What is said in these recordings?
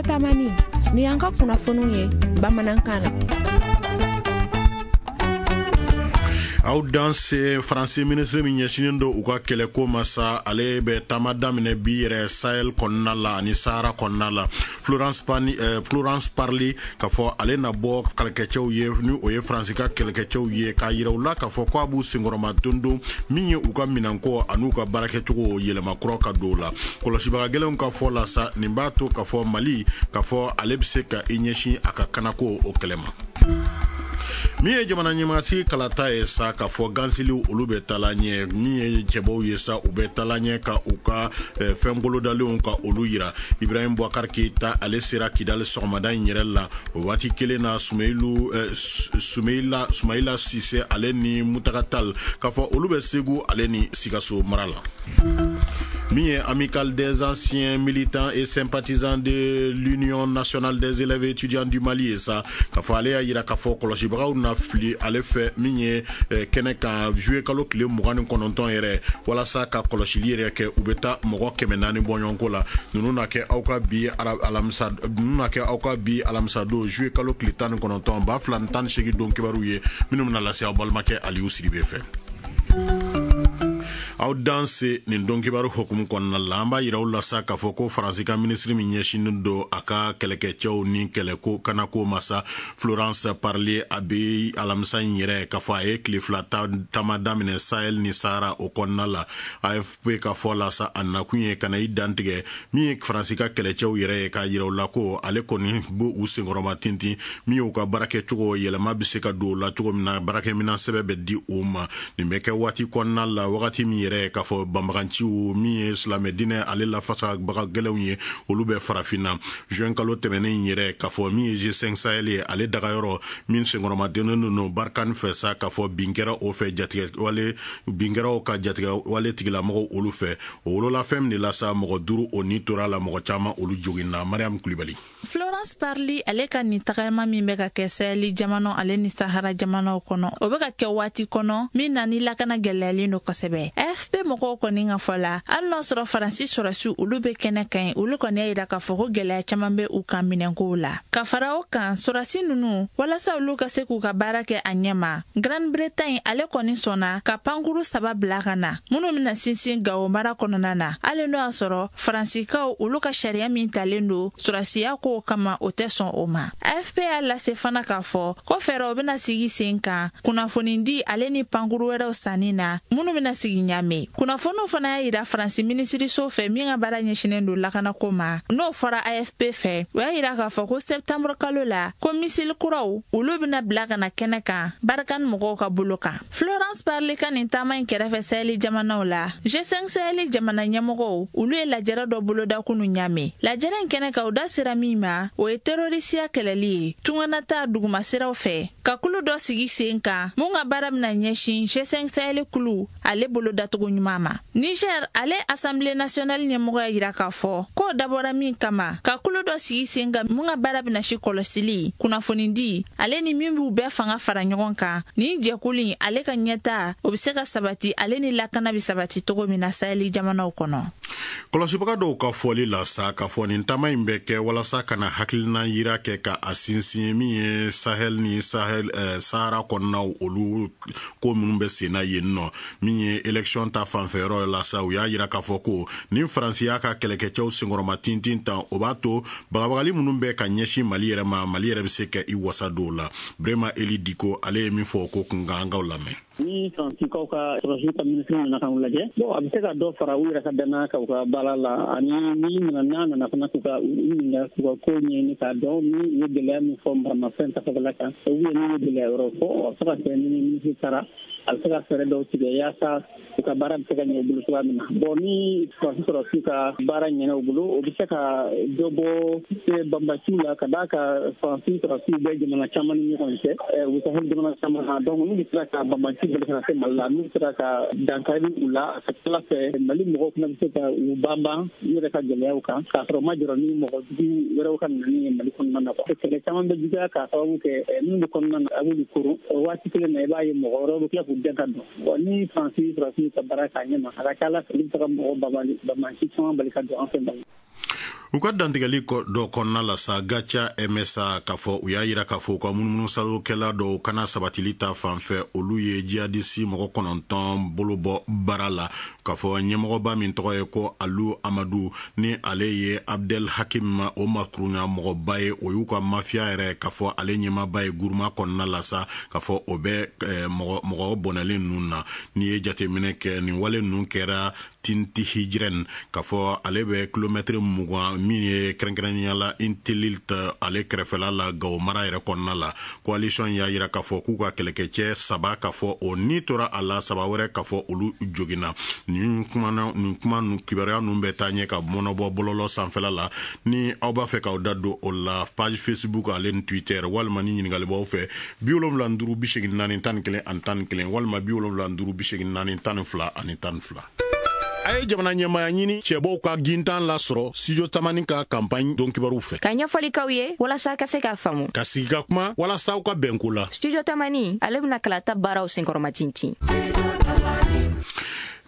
Studio Tamani, ni y'an ka kunnafoniw ye bamanankan na. Aw danse. Faransi minisiri min ɲɛsinen don u ka kɛlɛko ma sa, ale bɛ taama daminɛ bi yɛrɛ Sahel kɔnɔna la ani Sahara kɔnɔna la. Florence Parly, k'a fɔ ale na bɔ kɛlɛkɛcɛw ye, ni o ye Faransi ka kɛlɛkɛcɛw ye, k'a yira u la k'a fɔ ko a b'u senkɔrɔma dondon min ye u ka minɛnko an'u ka baarakɛcogo yɛlɛma kura ka don o la. Kɔlɔsibaga gɛlɛnw ka fɔ la sa, nin b'a to k'a fɔ Mali, k'a fɔ ale bɛ se ka i ɲɛsin a ka kanako o kɛlɛ ma. Min ye jamana ɲɛmaasigi kalata ye sa, k'a fɔ gansiliw olu bɛ taala ɲɛ. Min ye cɛbaw ye sa, u bɛ taala ɲɛ ka u ka fɛn bolodalenw ka olu yira. Ibrahim Boubacar Keita, ale sera Kidali sɔgɔmada in yɛrɛ la. O waati kelen na, Sumeyilu Sumeyila Sumayila Sise, ale ni Mutaka Tal, k'a fɔ olu bɛ Segu ale ni Sikaso mara la. Min ye Amicale des anciens militants et sympathisants de l'Union nationale des élèves et étudiants du Mali ye sa, k'a fɔ ale y'a yira k'a fɔ kɔlɔsibagaw na fili ale fɛ min ye kɛnɛ kan juillet kalo tile 29 yɛrɛ, walasa ka kɔlɔsili yɛrɛ kɛ. U bɛ taa mɔgɔ 400 bɔɲɔgɔnko la. Ninnu na kɛ aw ka bi alamisa, ninnu na kɛ aw ka bi alamisa don, juillet kalo tile 19, 2018 don kibaru ye, minnu bɛna lase aw balimakɛ Aliyu Sidibe fɛ. Aw danse. Nin don kibaru hukumu kɔnɔna la, an b'a yira aw la sa k'a fɔ ko Faransi ka minisiri min ɲɛsinnen don a ka kɛlɛkɛcɛw ni kɛlɛko kanako ma sa, Florence Parly, a bɛ alamisa in yɛrɛ, k'a fɔ a ye tile 2 taama daminɛ Sahel ni Sahara o kɔnɔna la. AFP ka fɔ la sa, a nakun ye ka na i dantigɛ min ye Faransi ka kɛlɛcɛw yɛrɛ ye, k'a yira u la ko ale kɔni b'u u senkɔrɔma tintin min y'u ka baarakɛcogo yɛlɛma bɛ se ka don o la cogo min na, baarakɛminɛn sɛbɛn bɛ di u ma. Nin bɛ kɛ waati kɔnɔna la, wagati min yɛrɛ k'a fɔ banbaganciw min ye silamɛ diinɛ ale lafasabaga gɛlɛnw ye, olu bɛ Farafinna. Juin kalo tɛmɛnen yɛrɛ, k'a fɔ min ye G5 Sahel ye, ale dagayɔrɔ min senkɔrɔmadennen don Barkhane fɛ sa, k'a fɔ bin kɛra o fɛ, jatigɛ wale bin kɛra o ka jatigɛ wale tigilamɔgɔw olu fɛ. O wolola fɛn min de la sa, mɔgɔ duuru o ni tora la, mɔgɔ caman olu joginna. Mariam Kulibali. Florence Parly, ale ka nin tagama min bɛ ka kɛ Sahel jamanaw ale ni Sahara jamanaw kɔnɔ, o bɛ ka kɛ waati kɔnɔ min na ni lakana gɛlɛyalen don kosɛbɛ. AFP mɔgɔw kɔni ka fɔ la, hali n'a sɔrɔ Faransi sɔrɔsiw olu bɛ kɛnɛ kan yen, olu kɔni y'a yira k'a fɔ ko gɛlɛya caman bɛ u kan minɛnkow la. Ka fara o kan, sɔrɔsi ninnu, walasa olu ka se k'u ka baara kɛ a ɲɛ ma, Grande Bretagne ale kɔni sɔnna ka pankuru saba bila ka na, minnu bɛna sinsin Gawo mara kɔnɔna na, hali n'o y'a sɔrɔ Faransikaw olu ka sariya min talen don sɔrɔsiya kow kama, o tɛ sɔn o ma. AFP y'a lase fana k'a fɔ ko fɛɛrɛw bɛna sigi sen kan kunnafonidi ale ni pankuru wɛrɛw sanni na, minnu bɛna sigi Ɲame. Kunnafoniw fana y'a yira Faransi minisiriso fɛ min ka baara ɲɛsinnen don lakanako ma, n'o fɔra AFP fɛ, o y'a yira k'a fɔ ko septembre kalo la, ko missile kuraw olu bɛna bila ka na kɛnɛ kan Barkhane mɔgɔw ka bolo kan. Florence Parly ka nin taama in kɛrɛfɛ Sahel jamanaw la, G5 Sahel jamana ɲɛmɔgɔw olu ye lajɛrɛ dɔ boloda kunu Ɲame. Lajɛrɛ in kɛnɛ kan, u da sera min ma, o ye terorisiya kɛlɛli ye, tunganata dugumasiraw fɛ, ka kulu dɔ sigi sen kan mun ka baara bɛna ɲɛsin G5 Sahel kulu ale bolo datogo ɲuman ma. Niger ale Assemblée nationale ɲɛmɔgɔ y'a yira k'a fɔ k'o dabɔra min kama, ka kulu dɔ sigi sen kan mun ka baara bɛna si kɔlɔsili, kunnafonidi ale ni min b'u bɛɛ fanga fara ɲɔgɔn kan. Nin jɛkulu in ale ka ɲɛta, o bɛ se ka sabati ale ni lakana bɛ sabati cogo min na Sahel jamanaw kɔnɔ. Kɔlɔsibaga dɔw ka fɔli la sa, k'a fɔ nin taama in bɛ kɛ walasa ka na hakilina yira kɛ ka a sinsin min ye Sahel ni Sahel Sahara kɔnɔnaw olu ko minnu bɛ sen na yen nɔ. Min ye élection ta fanfɛyɔrɔ la sa, u y'a yira k'a fɔ ko ni Faransi y'a ka kɛlɛkɛcɛw senkɔrɔma tintin tan, o b'a to bagabagali minnu bɛ ka ɲɛsin Mali yɛrɛ ma, Mali yɛrɛ bɛ se ka i wasa don la. Brema Eli Diko, ale ye min fɔ o ko kun kan, an k'aw lamɛn. Ni Faransikaw ka sɔrɔsiw ka minisiri nana k'u lajɛ, bon, a bɛ se ka dɔ fara u yɛrɛ ka danaya kan u ka baara la, ani ni nana n'a nana fana k'u ka u ɲininka, k'u ka ko ɲɛɲini k'a dɔn ni u ye gɛlɛya min fɔ maramafɛn ta fanfɛla kan, ou bien n'u ye gɛlɛya wɛrɛw fɔ, a bɛ se ka kɛ ni minisiri taara, a bɛ se ka fɛɛrɛ dɔw tigɛ yaasa u ka baara bɛ se ka ɲɛ u bolo cogoya min na. Bon, ni Faransi sɔrɔsiw ka baara ɲɛna u bolo, o bɛ se ka dɔ bɔ banbasiw la, ka d'a kan Faransi sɔrɔsiw bɛ jamana caman ni ɲɔgɔn cɛ, u bɛ Sahel jamana caman na. Donc n'u sera ka banbasi bali kana se Mali la, n'u sera ka dankari u la, a ka ca ala fɛ Mali mɔgɔw fana bɛ se ka u banban u yɛrɛ ka gɛlɛyaw kan, k'a sɔrɔ u ma jɔrɔ ni mɔgɔ jugu wɛrɛw ka nani ye Mali kɔnɔna na. Kɛlɛ caman bɛ juguya k'a sababu kɛ minnu bɛ kɔnɔna na, a b'olu koron. O waati kelen na, i b'a ye mɔgɔ wɛrɛw bɛ tila k'u dɛn ka don. Bon, ni Faransi sɔrɔsiw ka baara k'a ɲɛ ma, a ka ca ala fɛ olu bɛ se ka mɔgɔ banbanci caman bali ka don an fɛ Mali. U ka dantigɛli dɔ kɔnɔna la sa, Gatia MSA k'a fɔ u y'a yira k'a fɔ u ka munumunusalokɛla dɔw kana sabatili ta fan fɛ, olu ye jihadisi mɔgɔ 9 bolo bɔ baara la, k'a fɔ ɲɛmɔgɔba min tɔgɔ ye ko Alu Amadu, ni ale ye Abdel Hakim o makurunya mɔgɔba ye, o y'u ka mafiya yɛrɛ k'a fɔ ale ɲɛmaaba ye Guruma kɔnɔna la sa, k'a fɔ o bɛ mɔgɔ bɔnɛlen ninnu na. N'i ye jateminɛ kɛ, nin wale ninnu kɛra Tinti Hijrɛn, k'a fɔ ale bɛ kilomɛtiri 20 min ye kɛrɛnkɛrɛnnenya la Intelilt ale kɛrɛfɛla la Gawo mara yɛrɛ kɔnɔna la. Coalition y'a yira k'a fɔ k'u ka kɛlɛkɛcɛ 3 k'a fɔ o ni tora a la, 3 wɛrɛ k'a fɔ olu joginna. Nin kuma kibaruya ninnu bɛ taa ɲɛ ka mɔnɔbɔ bɔlɔlɔ sanfɛla la. Ni aw b'a fɛ k'aw da don o la, page Facebook ale ni Twitter, walima ni ɲininkali b'aw fɛ, 75 84 11 walima 75 84 12 12. A ye jamana ɲɛmaaya ɲini cɛbɔw ka gintan lasɔrɔ Studio Tamani ka campagne don kibaru fɛ. Ka ɲɛfɔli k'aw ye walasa ka se k'a faamu. Ka sigi ka kuma walasa aw ka bɛnko la. Studio Tamani ale bɛna kalata baaraw senkɔrɔma tintin.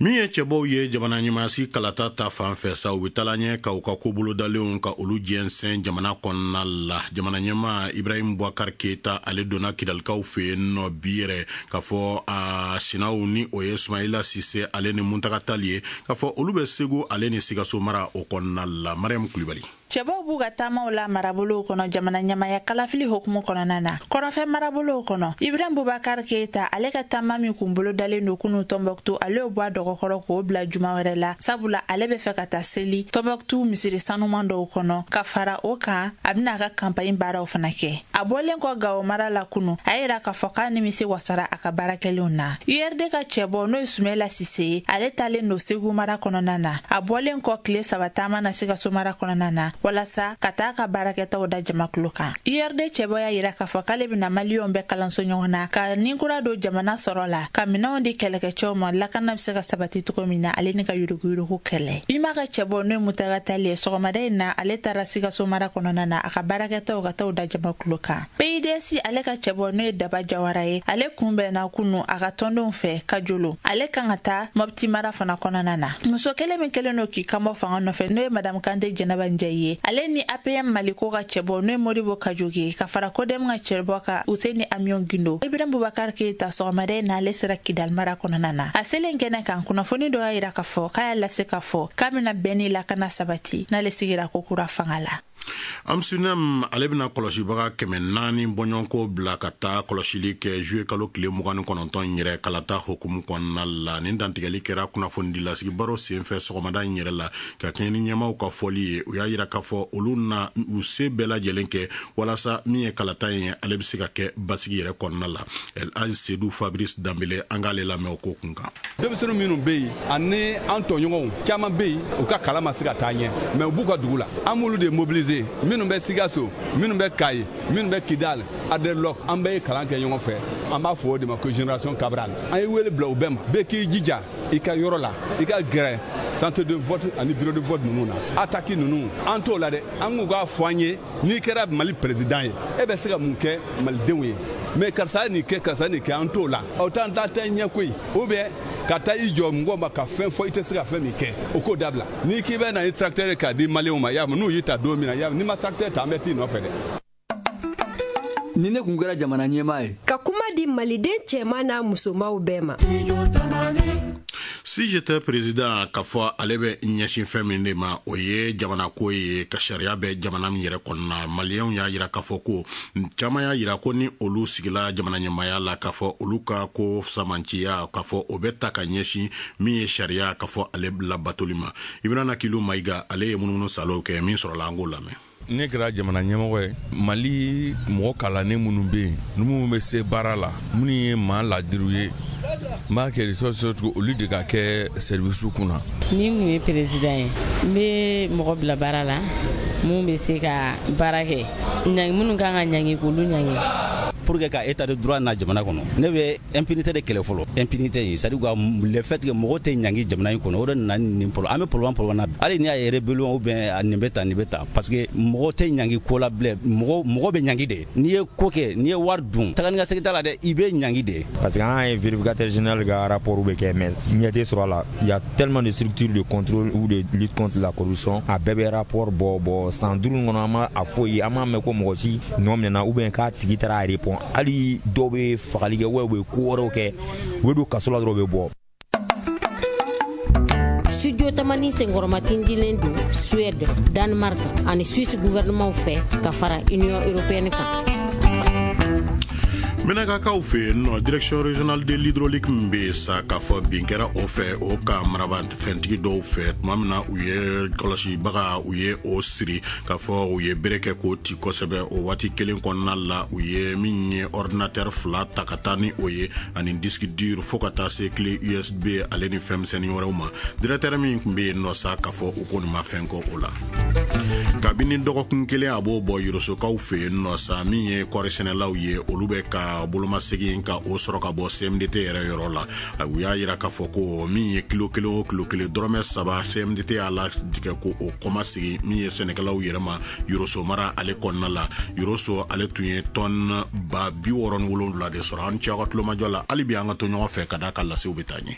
Min ye cɛbɔw ye jamana ɲɛmaasi kalata ta fan fɛ sa, u bɛ taala ɲɛ ka u ka ko bolodalenw ka olu jɛnsɛn jamana kɔnɔna la. Jamana ɲɛmaa Ibrahim Boubacar Keita ale donna Kidalikaw fɛ yen nɔ bi yɛrɛ, k'a fɔ a sinaw ni o ye Sumayila Sise ale ni Muntaga Tali ye, k'a fɔ olu bɛ Segu ale ni Sikaso mara o kɔnɔna la. Mariam Kulibali. Cɛbaw b'u ka taamaw la marabolow kɔnɔ jamana ɲɛmaya kalafili hokumu kɔnɔna na. Kɔrɔfɛ marabolow kɔnɔ, Ibrahim Boubacar Keita ale ka taama min kun bolo dalen don kunu Tombouctou, ale y'o bɔ a dɔgɔkɔrɔ k'o bila juma wɛrɛ la, sabula ale bɛ fɛ ka taa seli Tombouctou misiri sanuman dɔw kɔnɔ. Ka fara o kan, a bɛna a ka campagne baaraw fana kɛ. A bɔlen kɔ Gawo mara la kunu, a y'a yira k'a fɔ k'a nimisi wasara a ka baarakɛlenw na. URD ka cɛbɔ n'o ye Sumayila Sise ye, ale taalen don Segu mara kɔnɔna na. A bɔlen kɔ tile 3 taama na Sikaso mara kɔnɔna na, walasa ka taa ka baarakɛtaw da jamakulu kan. URD cɛbɔ y'a yira k'a fɔ k'ale bɛna maliyɛnw bɛɛ kalanso ɲɔgɔn na, ka ninkura don jamana sɔrɔ la, ka minɛnw di kɛlɛkɛcɛw ma lakana bɛ se ka sabati cogo min na, ale ni ka yuruguyurugu kɛlɛ. UMA ka cɛbɔ n'o ye Mutaga Tali ye, sɔgɔmada in na ale taara Sikaso mara kɔnɔna na, a ka baarakɛtaw ka t'o da jamakulu kan. PIDS ale ka cɛbɔ n'o ye Daba Jawara ye, ale kunbɛnna kunu a ka tɔndenw fɛ Kajolo. Ale kan ka taa Mopti mara fana kɔnɔna na. Muso kelen min kɛlen don k'i kanbɔ fanga nɔfɛ, n'o ye Madame Kante Jɛnɛba Njayi ye, ale ni APM Maliko ka cɛbɔ n'o ye Modibo Kajoge, ka fara Kodem ka cɛbɔ ka Useni Amion Gindo. Ibrahim Boubacar Keita sɔgɔmada in na ale sera Kidal mara kɔnɔna na. A selen kɛnɛ kan, kunnafoni dɔ y'a yira k'a fɔ k'a y'a lase k'a fɔ k'a bɛna bɛn ni lakana sabati n'ale sigira ko kura fanga la. Amsunem ale bɛna kɔlɔsibaga 400 bɔɲɔgɔnko bila ka taa kɔlɔsili kɛ juillet kalo tile 29 yɛrɛ kalata hokumu kɔnɔna la. Nin dantigɛli kɛra kunnafonidilasigi baro senfɛ sɔgɔmada in yɛrɛ la, ka kɛɲɛ ni ɲɛmaaw ka fɔli ye. U y'a yira k'a fɔ olu na u se bɛɛ lajɛlen kɛ walasa min ye kalata in ye ale bɛ se ka kɛ basigi yɛrɛ kɔnɔna la. El Hadj Seydou Fabrice Danbele, an k'ale lamɛn o ko kun kan. Denmisɛnnin minnu bɛ yen ani an tɔɲɔgɔnw caman bɛ yen, u ka kalan ma se ka taa ɲɛ, mais u b'u ka dugu la. An b'olu de mobiliser, minnu bɛ Sikaso, minnu bɛ Kayi, minnu bɛ Kidal, Aderlok, an bɛɛ ye kalan kɛ ɲɔgɔn fɛ. An b'a fɔ o de ma ko génération Cabral. An ye wele bila u bɛɛ ma, bɛɛ k'i jija i ka yɔrɔ la, i ka gɛrɛ centre de vote ani bureau de vote ninnu na. Attaque ninnu, an t'o la dɛ. An k'u k'a fɔ an ye, n'i kɛra Mali président ye, e bɛ se ka mun kɛ malidenw ye? Mais karisa ye nin kɛ, karisa ye nin kɛ, an t'o la. Aw t'an ta tɛ ɲɛ koyi. Ou bien ka taa i jɔ mɔgɔw ma ka fɛn fɔ i tɛ se ka fɛn min kɛ, o k'o dabila. N'i k'i bɛ na ni tracteur ye k'a di maliyɛnw ma, y'a n'u y'i ta don min na, y'a n'i ma tracteur ta, an bɛ t'i nɔfɛ dɛ. Ni ne kun kɛra jamana ɲɛmaa ye, ka kuma di maliden cɛman n'a musomanw bɛɛ ma. Si j'étais président, k'a fɔ ale bɛ ɲɛsin fɛn min de ma, o ye jamana ko ye, ka sariya bɛ jamana min yɛrɛ kɔnɔna. Maliyɛnw y'a yira k'a fɔ ko caman y'a yira ko ni olu sigila jamana ɲɛmaaya la, k'a fɔ olu ka ko samanciya, k'a fɔ o bɛ ta ka ɲɛsin min ye sariya, k'a fɔ ale labatoli ma. Ibrahima Kilo Mayiga ale ye munumunu salow kɛ, min sɔrɔla an k'o lamɛn. Ne kɛra jamana ɲɛmɔgɔ ye, Mali mɔgɔ kalannen minnu bɛ yen, ni minnu bɛ se baara la, minnu ye maa ladiriw ye, n b'a kɛ de olu de ka kɛ service kunna. Ni n kun ye président ye, n bɛ mɔgɔ bila baara la mun bɛ se ka baara kɛ, ɲangi minnu kan ka ɲangi k'olu ɲangi. Pour que ka état de droit na jamana kɔnɔ, ne bɛ impunité de kɛlɛ fɔlɔ. Impunité in, c'est à dire le fait que mɔgɔ tɛ ɲangi jamana in kɔnɔ, o de nana ni nin problème. An bɛ problème na hali n'i y'a ye, rébellion ou bien nin bɛ tan, nin bɛ tan, parce que mɔgɔ tɛ ɲangi ko la bilen. Mɔgɔ bɛ ɲangi de. N'i ye ko kɛ, n'i ye wari dun, taga ni ka segin t'a la dɛ, i bɛ ɲangi de. Parce que an ye vérificateur général ka rapport bɛ kɛ, mais ɲɛ tɛ sɔrɔ a la. Il y a tellement de structures de contrôle ou de lutte contre la corruption, a bɛɛ bɛ rapport bɔ san 5 kɔnɔ, an ma a foyi, an m'a mɛn ko mɔgɔ si nɔ minɛna ou bien k'a tigi taara a répond. Hali dɔw bɛ fagali kɛ, u bɛ ko wɛrɛw kɛ, u bɛ don kaso la dɔrɔn, u bɛ bɔ. Studio Tamani senkɔrɔmatindilen don Suède, Danemark ani Suisse gouvernement fɛ ka fara Union européenne kan. Menakakaw fɛ yen nɔ, Direction régionale de l'hydraulique min bɛ yen sa, k'a fɔ bin kɛra o fɛ, o ka maraba fɛntigi dɔw fɛ tuma min na u ye kɔlɔsibaga, u ye o siri, k'a fɔ u ye bere kɛ k'o ci kosɛbɛ. O waati kelen kɔnɔna la, u ye min ye ordinateur fila ta ka taa ni o ye, ani disque dur, fo ka taa se clé USB ale ni fɛnmisɛnnin wɛrɛw ma. Directeur min tun bɛ yen nɔ sa, k'a fɔ u ko nin ma fɛn kɔ o la. Kabini dɔgɔkun kelen a b'o bɔ, Yorosokaw fɛ yen nɔ sa, min ye kɔɔrisɛnɛlaw ye, olu bɛ ka bolomasegin ka o sɔrɔ ka bɔ CMDT yɛrɛ yɔrɔ la. U y'a yira k'a fɔ ko min ye kilo kelen o kilo kelen dɔrɔmɛ 3, CMDT y'a latigɛ ko o kɔmasegin min ye sɛnɛkɛlaw yɛrɛ ma Yoroso mara ale kɔnɔna la. Yoroso ale tun ye tɔn 67 000 de sɔrɔ. An cɛ, aw ka tulomajɔ la, hali bi an ka to ɲɔgɔn fɛ ka d'a ka lasew bɛ taa ɲɛ.